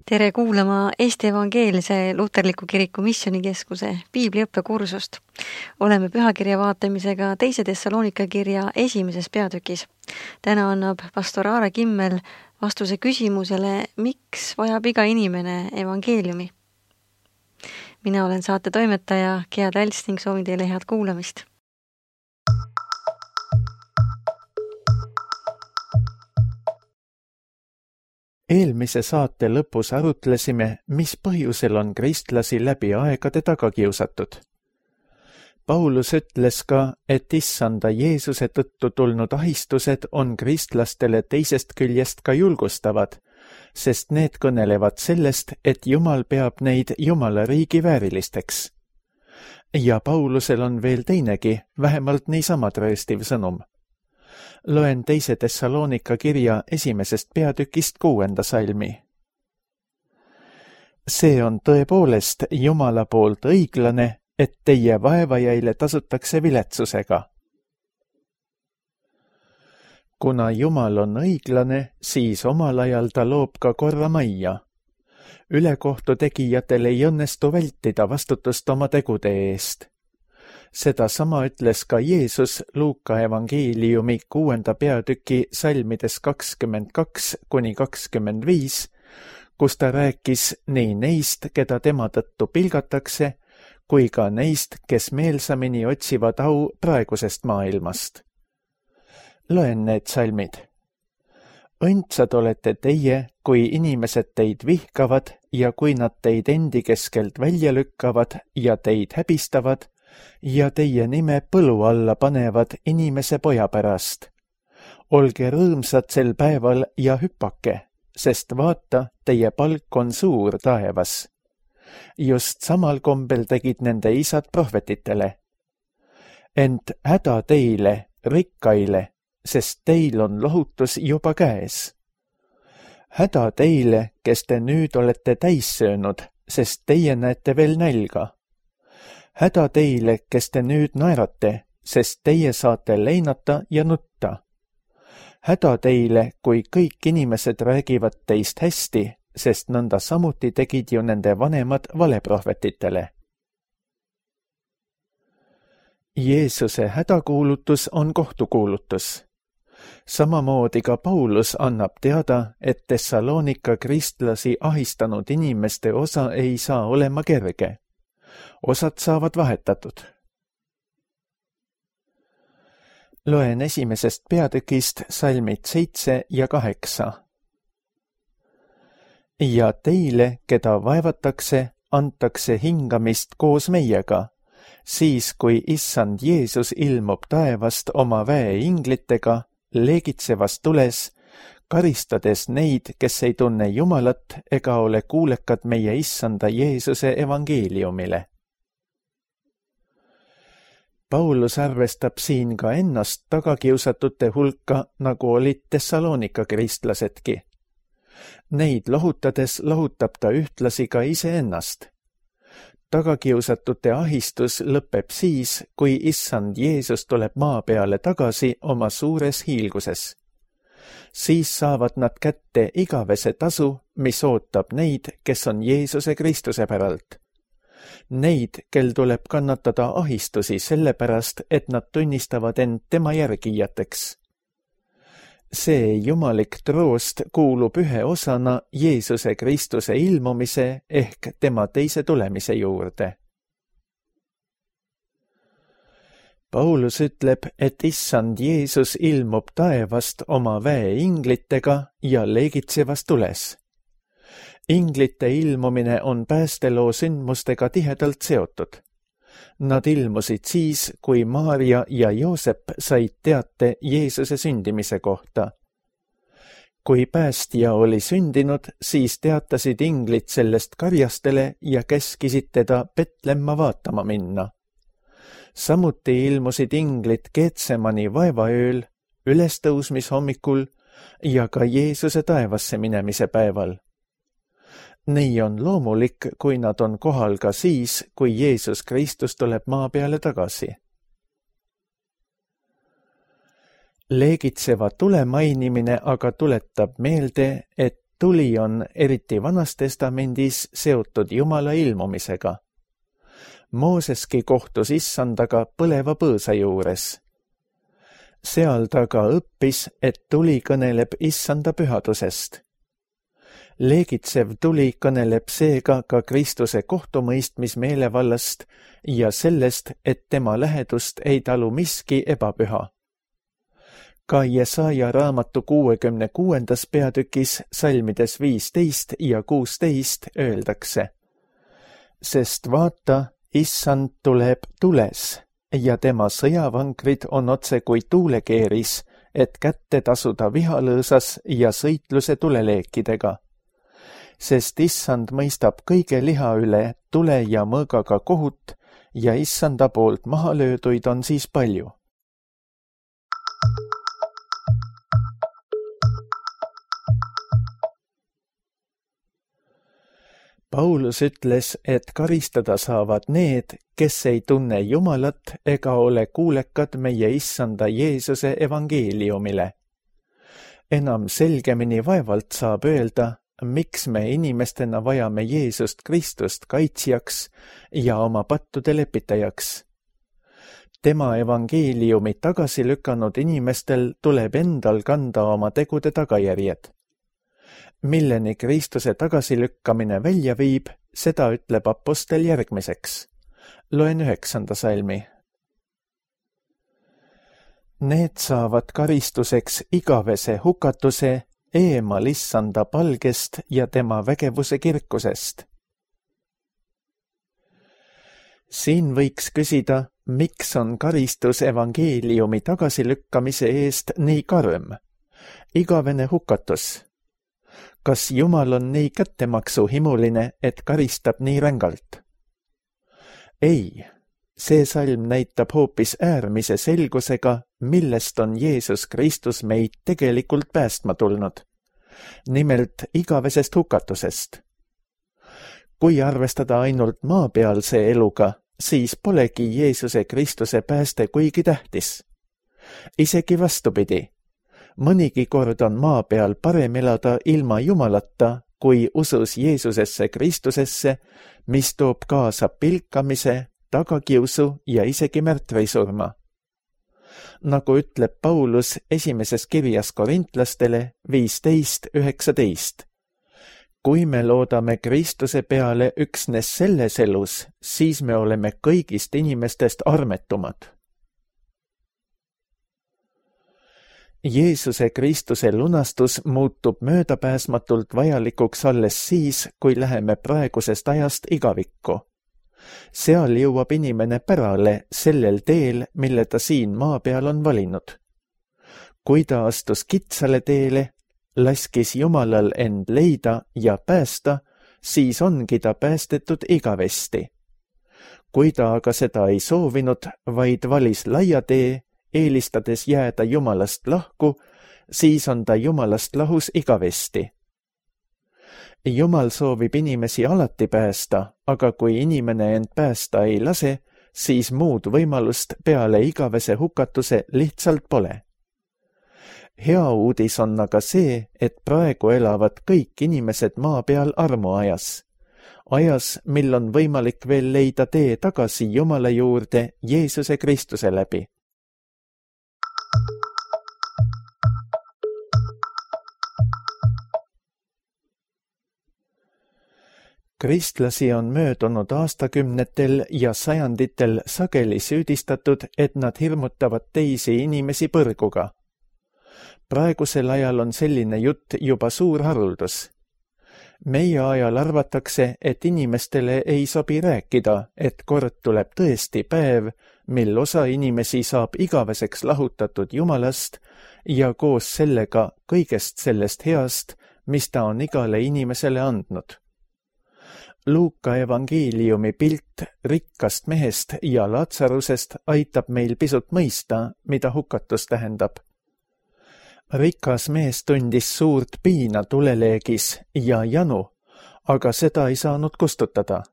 Tere kuulama Eesti Evangeelse Luterliku Kiriku Missioonikeskuse piibliõppekursust. Oleme pühakirja vaatamisega 2. Thessalonika kirja 1. peatükis. Täna annab pastor Aare Kimmel vastuse küsimusele, miks vajab iga inimene evangeeliumi. Mina olen saate toimetaja Gea Tälst ning soovin teile head kuulamist. Eelmise saate lõpus arutlesime, mis põhjusel on kristlasi läbi aegade taga kiusatud. Paulus ütles ka, et issanda Jeesuse tõttu tulnud ahistused on kristlastele teisest küljest ka julgustavad, sest need kõnelevad sellest, et Jumal peab neid Jumala riigi väärilisteks. Ja Paulusel on veel teinegi, vähemalt niisama trööstiv sõnum. Loen 2. Thessalonika kirja 1. peatükist 6. salmi. See on tõepoolest Jumala poolt õiglane, et teie vaevajaile tasutakse viletsusega. Kuna Jumal on õiglane, siis omal ajal ta loob ka korra majja. Ülekohtu tegijatel ei õnnestu vältida vastutust oma tegude eest. Seda sama ütles ka Jeesus Luuka evangeeliumi 6. peatüki salmides 22–25, kus ta rääkis nii neist, keda tema tõttu pilgatakse, kui ka neist, kes meelsamini otsivad au praegusest maailmast. Loen need salmid. Õndsad olete teie, kui inimesed teid vihkavad ja kui nad teid endi keskelt välja lükkavad ja teid häbistavad, ja teie nime põlu alla panevad inimese poja pärast. Olge rõõmsad sel päeval ja hüppake, sest vaata, teie palk on suur taevas. Just samal kombel tegid nende isad prohvetitele. Ent häda teile, rikkaile, sest teil on lohutus juba käes. Häda teile, kes te nüüd olete täis söönud, sest teie näete veel nälga. Häda teile, kes te nüüd naerate, sest teie saate leinata ja nutta. Häda teile, kui kõik inimesed räägivad teist hästi, sest nõnda samuti tegid ju nende vanemad valeprohvetitele. Jeesuse hädakuulutus on kohtukuulutus. Samamoodi ka Paulus annab teada, et Thessalonika kristlasi ahistanud inimeste osa ei saa olema kerge. Osad saavad vahetatud. Loen 1. peatükist salmid 7 ja 8. Ja teile, keda vaevatakse, antakse hingamist koos meiega, siis kui issand Jeesus ilmub taevast oma väeinglitega, leegitsevas tules, karistades neid, kes ei tunne Jumalat ega ole kuulekad meie issanda Jeesuse evangeeliumile. Paulus arvestab siin ka ennast tagakiusatute hulka, nagu olid Thessalonika kristlasedki. Neid lohutades lohutab ta ühtlasi ka iseennast. Tagakiusatute ahistus lõpeb siis, kui issand Jeesus tuleb maa peale tagasi oma suures hiilguses. Siis saavad nad kätte igavese tasu, mis ootab neid, kes on Jeesuse Kristuse päralt. Neid, kel tuleb kannatada ahistusi sellepärast, et nad tunnistavad end tema järgijateks. See jumalik troost kuulub ühe osana Jeesuse Kristuse ilmumise ehk tema teise tulemise juurde. Paulus ütleb, et issand Jeesus ilmub taevast oma väeinglitega ja leegitsevas tules. Inglite ilmumine on päästeloo sündmustega tihedalt seotud. Nad ilmusid siis, kui Maarja ja Joosep said teate Jeesuse sündimise kohta. Kui päästja oli sündinud, siis teatasid inglid sellest karjastele ja käskisid teda Betlemma vaatama minna. Samuti ilmusid inglid Getsemani vaevaööl, ülestõusmishommikul ja ka Jeesuse taevasse minemise päeval. Nii on loomulik, kui nad on kohal ka siis, kui Jeesus Kristus tuleb maa peale tagasi. Leegitseva tule mainimine aga tuletab meelde, et tuli on eriti Vanas Testamendis seotud Jumala ilmumisega. Mooseski kohtus issandaga põleva põõsa juures. Seal ta ka õppis, et tuli kõneleb issanda pühadusest. Leegitsev tuli kõneleb seega ka Kristuse kohtumõistmismeelevallast ja sellest, et tema lähedust ei talu miski ebapüha. Ka Jesaja raamatu 66. peatükis salmides 15 ja 16 öeldakse: sest vaata, issand tuleb tules ja tema sõjavankrid on otse kui tuulekeeris, et kätte tasuda vihalõõsas ja sõitluse tuleleekidega. Sest issand mõistab kõige liha üle tule ja mõõgaga kohut ja issanda poolt maha lööduid on siis palju. Paulus ütles, et karistada saavad need, kes ei tunne Jumalat ega ole kuulekad meie issanda Jeesuse evangeeliumile. Enam selgemini vaevalt saab öelda, miks me inimestena vajame Jeesust Kristust kaitsjaks ja oma pattude lepitajaks. Tema evangeeliumi tagasi lükanud inimestel tuleb endal kanda oma tegude tagajärjed. Milleni Kristuse tagasilükkamine välja viib, seda ütleb apostel järgmiseks. Loen 9. salmi. Need saavad karistuseks igavese hukatuse eemal issanda palgest ja tema vägevuse kirkusest. Siin võiks küsida, miks on karistus evangeeliumi tagasilükkamise eest nii karm? Igavene hukatus. Kas Jumal on nii kättemaksuhimuline, et karistab nii rängalt? Ei, see salm näitab hoopis äärmise selgusega, millest on Jeesus Kristus meid tegelikult päästma tulnud. Nimelt igavesest hukatusest. Kui arvestada ainult maapealse eluga, siis polegi Jeesuse Kristuse pääste kuigi tähtis. Isegi vastupidi. Mõnigi kord on maa peal parem elada ilma Jumalata, kui usus Jeesusesse Kristusesse, mis toob kaasa pilkamise, tagakiusu ja isegi märtrisurma. Nagu ütleb Paulus esimeses kirjas korintlastele 15:19. Kui me loodame Kristuse peale üksnes selles elus, siis me oleme kõigist inimestest armetumad. Jeesuse Kristuse lunastus muutub möödapääsmatult vajalikuks alles siis, kui läheme praegusest ajast igavikku. Seal jõuab inimene pärale sellel teel, mille ta siin maa peal on valinud. Kui ta astus kitsale teele, laskis Jumalal end leida ja päästa, siis ongi ta päästetud igavesti. Kui ta aga seda ei soovinud, vaid valis laia tee, eelistades jääda Jumalast lahku, siis on ta Jumalast lahus igavesti. Jumal soovib inimesi alati päästa, aga kui inimene end päästa ei lase, siis muud võimalust peale igavese hukatuse lihtsalt pole. Hea uudis on aga see, et praegu elavad kõik inimesed maa peal armuajas. Ajas, mil on võimalik veel leida tee tagasi Jumala juurde Jeesuse Kristuse läbi. Kristlasi on möödunud aastakümnetel ja sajanditel sageli süüdistatud, et nad hirmutavad teisi inimesi põrguga. Praegusel ajal on selline jutt juba suur haruldus. Meie ajal arvatakse, et inimestele ei sobi rääkida, et kord tuleb tõesti päev, mil osa inimesi saab igaveseks lahutatud Jumalast ja koos sellega kõigest sellest heast, mis ta on igale inimesele andnud. Luuka evangeeliumi pilt rikkast mehest ja Latsarusest aitab meil pisut mõista, mida hukatus tähendab. Rikas mees tundis suurt piina tuleleegis ja janu, aga seda ei saanud kustutada.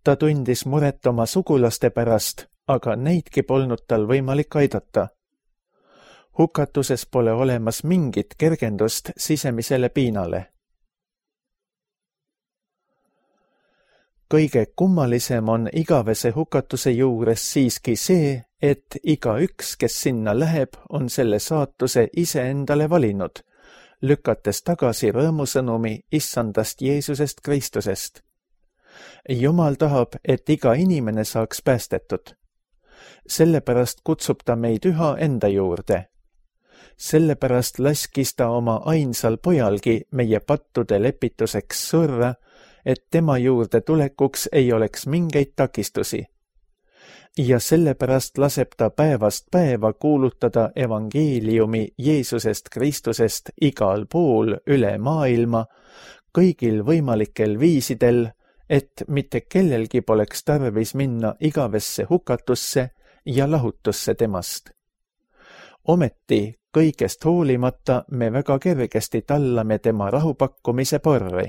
Ta tundis muret oma sugulaste pärast, aga neidki polnud tal võimalik aidata. Hukatuses pole olemas mingit kergendust sisemisele piinale. Kõige kummalisem on igavese hukatuse juures siiski see, et igaüks, kes sinna läheb, on selle saatuse iseendale valinud, lükates tagasi rõõmusõnumi issandast Jeesusest Kristusest. Jumal tahab, et iga inimene saaks päästetud. Sellepärast kutsub ta meid üha enda juurde. Sellepärast laskis ta oma ainsal pojalgi meie pattude lepituseks surra, et tema juurde tulekuks ei oleks mingeid takistusi. Ja sellepärast laseb ta päevast päeva kuulutada evangeeliumi Jeesusest Kristusest igal pool üle maailma, kõigil võimalikel viisidel, et mitte kellelgi poleks tarvis minna igavesse hukatusse ja lahutusse temast. Ometi kõigest hoolimata me väga kergesti tallame tema rahupakkumise porri.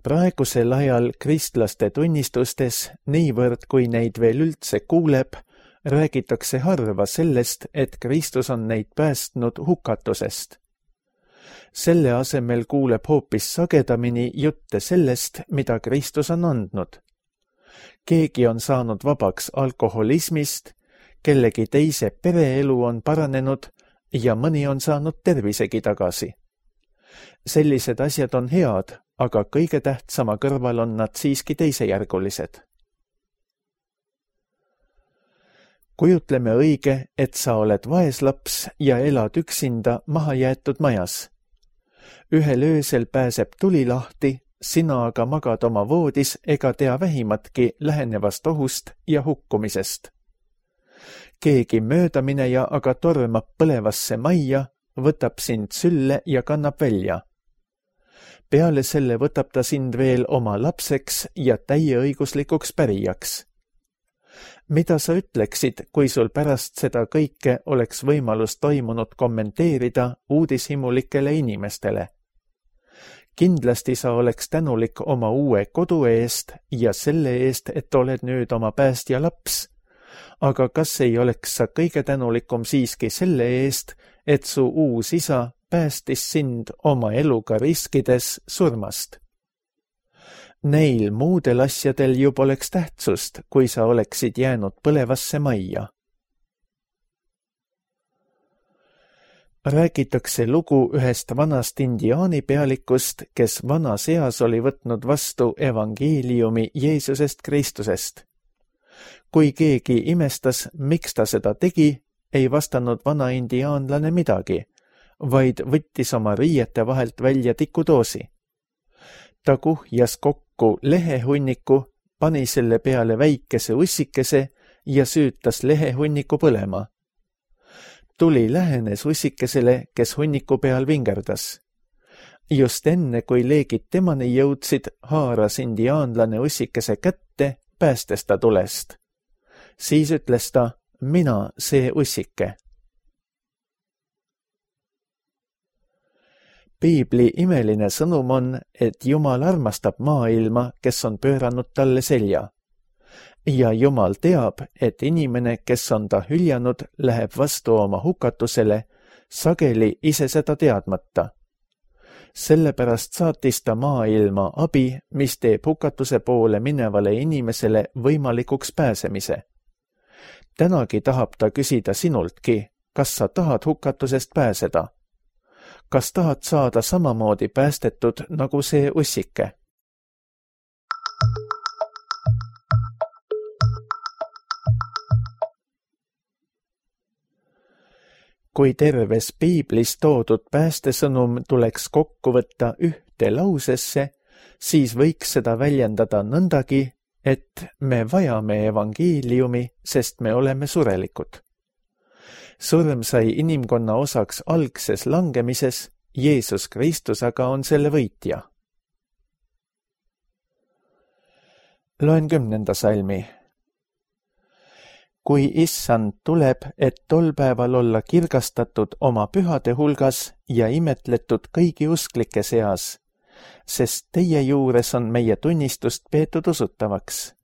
Praegusel ajal kristlaste tunnistustes, niivõrd kui neid veel üldse kuuleb, räägitakse harva sellest, et Kristus on neid päästnud hukatusest. Selle asemel kuuleb hoopis sagedamini jutte sellest, mida Kristus on andnud. Keegi on saanud vabaks alkoholismist, kellegi teise pereelu on paranenud ja mõni on saanud tervisegi tagasi. Sellised asjad on head, aga kõige tähtsama kõrval on nad siiski teisejärgulised. Kujutleme õige, et sa oled vaeslaps ja elad üksinda mahajäetud majas. Ühel öösel pääseb tuli lahti, sina aga magad oma voodis ega tea vähimatki lähenevast ohust ja hukkumisest. Keegi möödamineja aga tormab põlevasse majja, võtab sind sülle ja kannab välja. Peale selle võtab ta sind veel oma lapseks ja täieõiguslikuks pärijaks. Mida sa ütleksid, kui sul pärast seda kõike oleks võimalus toimunut kommenteerida uudishimulikele inimestele? Kindlasti sa oleks tänulik oma uue kodu eest ja selle eest, et oled nüüd oma päästja laps. Aga kas ei oleks sa kõige tänulikum siiski selle eest, et su uus isa päästis sind oma eluga riskides surmast? Neil muudel asjadel ju poleks tähtsust, kui sa oleksid jäänud põlevasse majja. Räägitakse lugu ühest vanast indiaani pealikust, kes vanas eas oli võtnud vastu evangeeliumi Jeesusest Kristusest. Kui keegi imestas, miks ta seda tegi, ei vastanud vana indiaanlane midagi, vaid võttis oma riiete vahelt välja tikudoosi. Ta kuhjas kokku lehehunniku, pani selle peale väikese ussikese ja süütas lehehunniku põlema. Tuli lähenes ussikesele, kes hunniku peal vingerdas. Just enne, kui leegid temani jõudsid, haaras indiaanlane ussikese kätte, päästes ta tulest. Siis ütles ta, mina see ussike. Piibli imeline sõnum on, et Jumal armastab maailma, kes on pööranud talle selja. Ja Jumal teab, et inimene, kes on ta hüljanud, läheb vastu oma hukatusele, sageli ise seda teadmata. Sellepärast saatis ta maailma abi, mis teeb hukatuse poole minevale inimesele võimalikuks pääsemise. Tänagi tahab ta küsida sinultki, kas sa tahad hukatusest pääseda? Kas tahad saada samamoodi päästetud nagu see ussike? Kui terves Piiblis toodud päästesõnum tuleks kokku võtta ühte lausesse, siis võiks seda väljendada nõndagi, et me vajame evangeeliumi, sest me oleme surelikud. Surm sai inimkonna osaks algses langemises, Jeesus Kristus aga on selle võitja. Loen 10. salmi. Kui issand tuleb, et tol päeval olla kirgastatud oma pühade hulgas ja imetletud kõigi usklike seas, sest teie juures on meie tunnistust peetud usutavaks.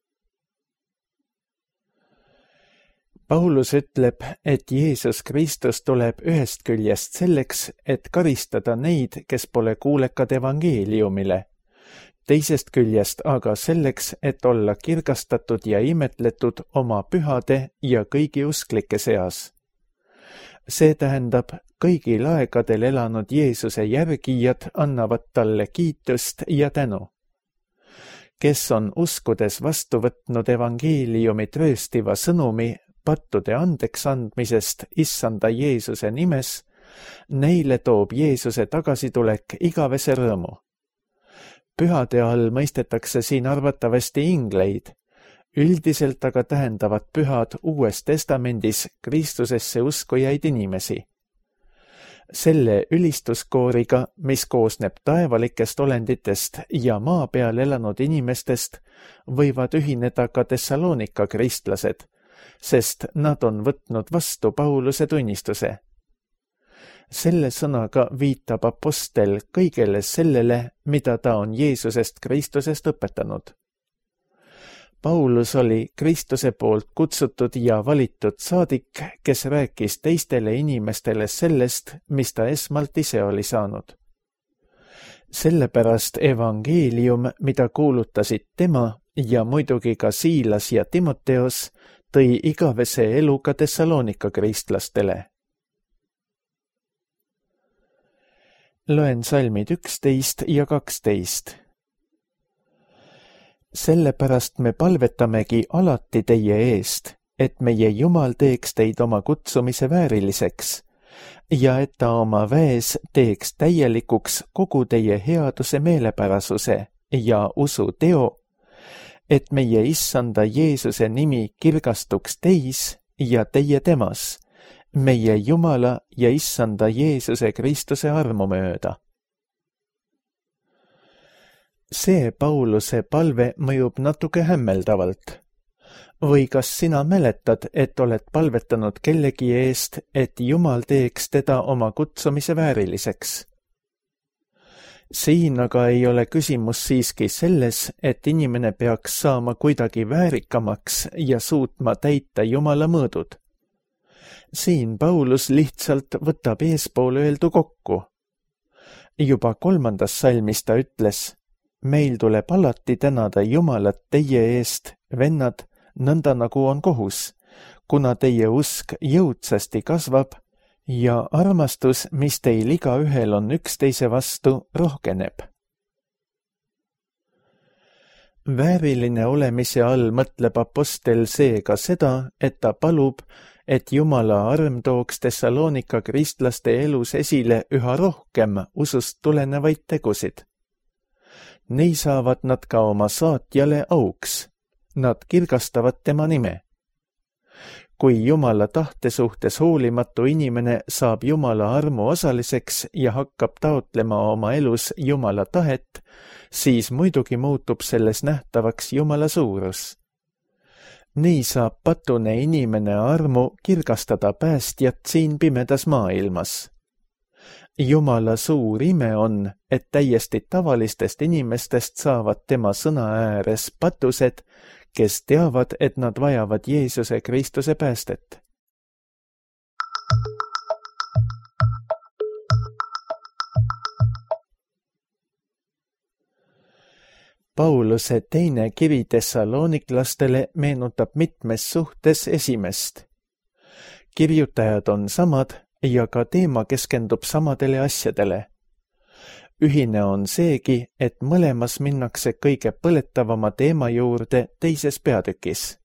Paulus ütleb, et Jeesus Kristus tuleb ühest küljest selleks, et karistada neid, kes pole kuulekad evangeeliumile, teisest küljest aga selleks, et olla kirgastatud ja imetletud oma pühade ja kõigi usklike seas. See tähendab, kõigil aegadel elanud Jeesuse järgijad annavad talle kiitust ja tänu. Kes on uskudes vastu võtnud evangeeliumi trööstiva sõnumi pattude andeks andmisest Issanda Jeesuse nimes, neile toob Jeesuse tagasitulek igavese rõõmu. Pühade all mõistetakse siin arvatavasti ingleid, üldiselt aga tähendavad pühad Uues Testamendis Kristusesse uskujaid inimesi. Selle ülistuskooriga, mis koosneb taevalikest olenditest ja maa peal elanud inimestest, võivad ühineda ka Thessalonika kristlased, sest nad on võtnud vastu Pauluse tunnistuse. Selle sõnaga viitab apostel kõigele sellele, mida ta on Jeesusest Kristusest õpetanud. Paulus oli Kristuse poolt kutsutud ja valitud saadik, kes rääkis teistele inimestele sellest, mis ta esmalt ise oli saanud. Sellepärast evangeelium, mida kuulutasid tema ja muidugi ka Siilas ja Timoteos, tõi igavese elu ka Thessalonika kristlastele. Loen salmid 11 ja 12. Sellepärast me palvetamegi alati teie eest, et meie Jumal teeks teid oma kutsumise vääriliseks ja et ta oma väes teeks täielikuks kogu teie headuse meelepärasuse ja usu teo, et meie Issanda Jeesuse nimi kirgastuks teis ja teie temas, meie Jumala ja Issanda Jeesuse Kristuse armu mööda. See Pauluse palve mõjub natuke hämmeldavalt. Või kas sina mäletad, et oled palvetanud kellegi eest, et Jumal teeks teda oma kutsumise vääriliseks? Siin aga ei ole küsimus siiski selles, et inimene peaks saama kuidagi väärikamaks ja suutma täita Jumala mõõdud. Siin Paulus lihtsalt võtab eespool öeldu kokku. Juba 3. salmis ta ütles: meil tuleb alati tänada Jumalat teie eest, vennad, nõnda nagu on kohus, kuna teie usk jõudsasti kasvab ja armastus, mis teil igaühel on üksteise vastu, rohkeneb. Vääriline olemise all mõtleb apostel seega seda, et ta palub, et Jumala arm tooks Thessalonika kristlaste elus esile üha rohkem usust tulenevaid tegusid. Nii saavad nad ka oma saatjale auks. Nad kirgastavad tema nime. Kui Jumala tahte suhtes hoolimatu inimene saab Jumala armu osaliseks ja hakkab taotlema oma elus Jumala tahet, siis muidugi muutub selles nähtavaks Jumala suurus. Nii saab patune inimene armu kirgastada päästjat siin pimedas maailmas. Jumala suur ime on, et täiesti tavalistest inimestest saavad tema sõna ääres patused, kes teavad, et nad vajavad Jeesuse Kristuse päästet. Pauluse teine kiri Thessaloniklastele meenutab mitmes suhtes esimest. Kirjutajad on samad ja ka teema keskendub samadele asjadele. Ühine on seegi, et mõlemas minnakse kõige põletavama teema juurde teises peatükis.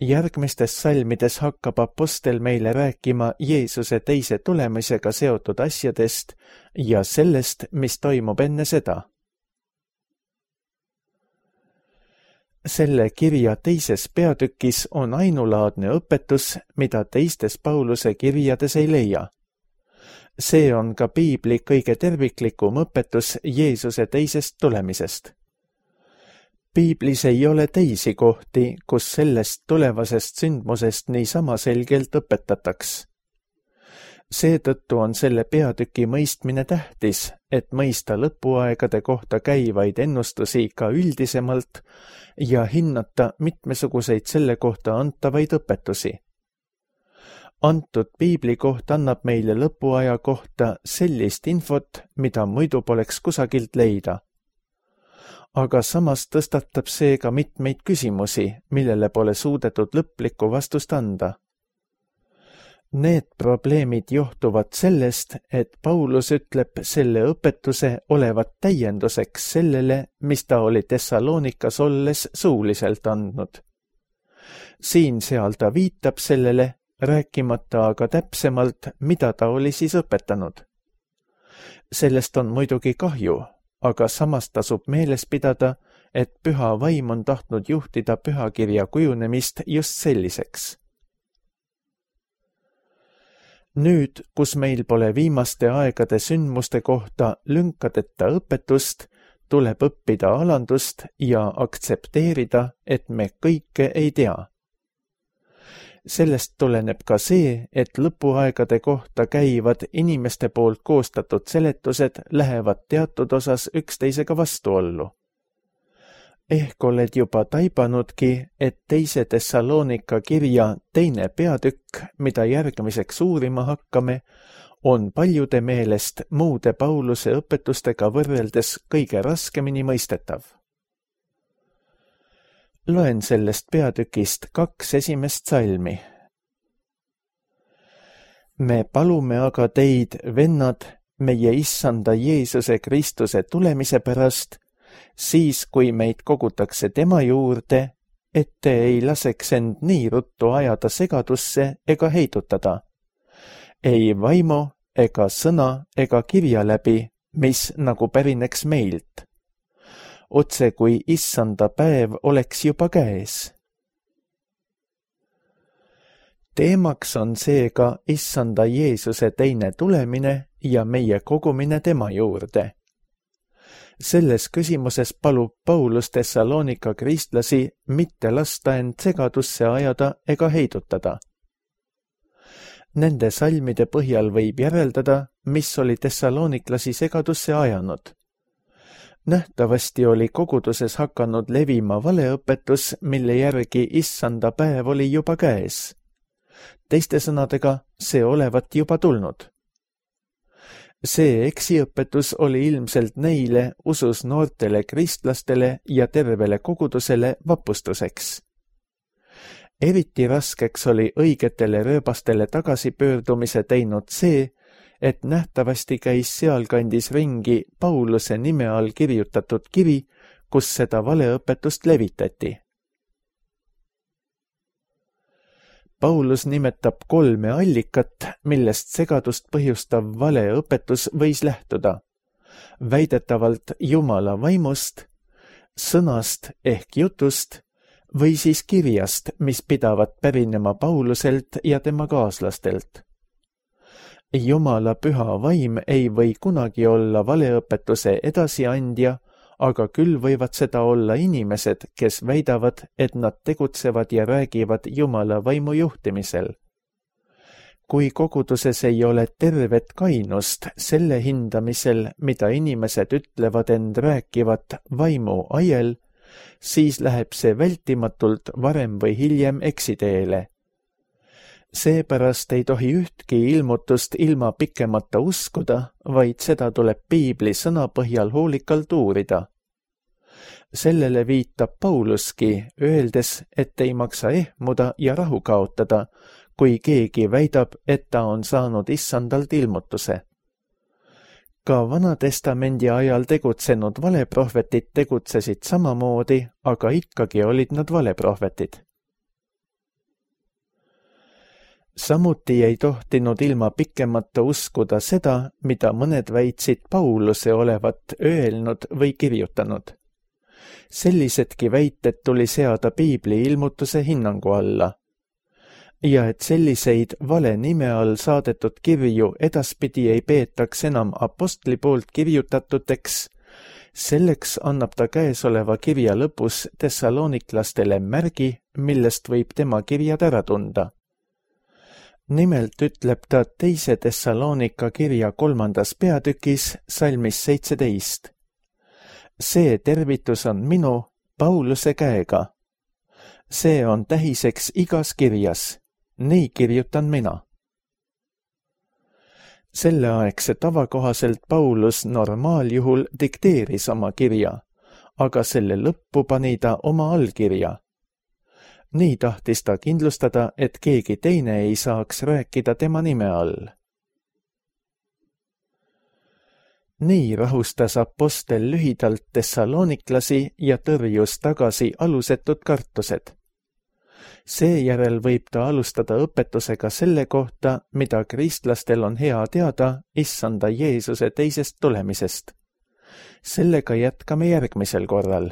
Järgmistes salmides hakkab apostel meile rääkima Jeesuse teise tulemisega seotud asjadest ja sellest, mis toimub enne seda. Selle kirja teises peatükis on ainulaadne õpetus, mida teistes Pauluse kirjades ei leia. See on ka piibli kõige terviklikum õpetus Jeesuse teisest tulemisest. Piiblis ei ole teisi kohti, kus sellest tulevasest sündmusest niisama selgelt õpetataks. Seetõttu on selle peatüki mõistmine tähtis, et mõista lõpuaegade kohta käivaid ennustusi ka üldisemalt ja hinnata mitmesuguseid selle kohta antavaid õpetusi. Antud piiblikoht annab meile lõpuaja kohta sellist infot, mida muidu poleks kusagilt leida. Aga samas tõstatab see ka mitmeid küsimusi, millele pole suudetud lõplikku vastust anda. Need probleemid johtuvad sellest, et Paulus ütleb selle õpetuse olevat täienduseks sellele, mis ta oli Thessalonikas olles suuliselt andnud. Siin-seal ta viitab sellele, rääkimata aga täpsemalt, mida ta oli siis õpetanud. Sellest on muidugi kahju, aga samas tasub meeles pidada, et püha vaim on tahtnud juhtida pühakirja kujunemist just selliseks. Nüüd, kus meil pole viimaste aegade sündmuste kohta lünkadeta õpetust, tuleb õppida alandust ja aktsepteerida, et me kõike ei tea. Sellest tuleneb ka see, et lõpuaegade kohta käivad inimeste poolt koostatud seletused lähevad teatud osas üksteisega vastuollu. Ehk oled juba taibanudki, et teise Thessalonika kirja teine peatükk, mida järgmiseks uurima hakkame, on paljude meelest muude Pauluse õpetustega võrreldes kõige raskemini mõistetav. Loen sellest peatükist 2 esimest salmi. Me palume aga teid, vennad, meie Issanda Jeesuse Kristuse tulemise pärast, siis kui meid kogutakse tema juurde, et te ei laseks end nii ruttu ajada segadusse ega heidutada. Ei vaimu ega sõna ega kirja läbi, mis nagu pärineks meilt. Otse kui Issanda päev oleks juba käes. Teemaks on seega Issanda Jeesuse teine tulemine ja meie kogumine tema juurde. Selles küsimuses palub Paulus Thessalonika kristlasi mitte lasta end segadusse ajada ega heidutada. Nende salmide põhjal võib järeldada, mis oli Thessaloniklasi segadusse ajanud. Nähtavasti oli koguduses hakanud levima valeõpetus, mille järgi Issanda päev oli juba käes. Teiste sõnadega, see olevat juba tulnud. See eksiõpetus oli ilmselt neile usus noortele kristlastele ja tervele kogudusele vapustuseks. Eriti raskeks oli õigetele rööbastele tagasipöördumise teinud see, et nähtavasti käis sealkandis ringi Pauluse nime all kirjutatud kiri, kus seda valeõpetust levitati. Paulus nimetab 3 allikat, millest segadust põhjustav valeõpetus võis lähtuda. Väidetavalt Jumala vaimust, sõnast ehk jutust või siis kirjast, mis pidavat pärinema Pauluselt ja tema kaaslastelt. Jumala püha vaim ei või kunagi olla valeõpetuse edasiandja, aga küll võivad seda olla inimesed, kes väidavad, et nad tegutsevad ja räägivad Jumala vaimu juhtimisel. Kui koguduses ei ole tervet kainust selle hindamisel, mida inimesed ütlevad end rääkivat vaimu ajel, siis läheb see vältimatult varem või hiljem eksiteele. Seepärast ei tohi ühtki ilmutust ilma pikemata uskuda, vaid seda tuleb piibli sõna põhjal hoolikalt uurida. Sellele viitab Pauluski, öeldes, et ei maksa ehmuda ja rahu kaotada, kui keegi väidab, et ta on saanud Issandalt ilmutuse. Ka Vana-testamendi ajal tegutsenud valeprohvetid tegutsesid samamoodi, aga ikkagi olid nad valeprohvetid. Samuti ei tohtinud ilma pikemata uskuda seda, mida mõned väitsid Pauluse olevat öelnud või kirjutanud. Sellisedki väited tuli seada piibli ilmutuse hinnangu alla. Ja et selliseid vale nime all saadetud kirju edaspidi ei peetaks enam apostli poolt kirjutatuteks, selleks annab ta käesoleva kirja lõpus Thessaloniklastele märgi, millest võib tema kirjad ära tunda. Nimelt ütleb ta 2. Thessalonika kirja 3. peatükis salmis 17. See tervitus on minu, Pauluse käega. See on tähiseks igas kirjas, nii kirjutan mina. Selleaegse tava kohaselt Paulus normaaljuhul dikteeris oma kirja, aga selle lõppu pani ta oma allkirja. Nii tahtis ta kindlustada, et keegi teine ei saaks rääkida tema nime all. Nii rahustas apostel lühidalt tessaloniklasi ja tõrjus tagasi alusetud kartused. Seejärel võib ta alustada õpetusega selle kohta, mida kristlastel on hea teada Issanda Jeesuse teisest tulemisest. Sellega jätkame järgmisel korral.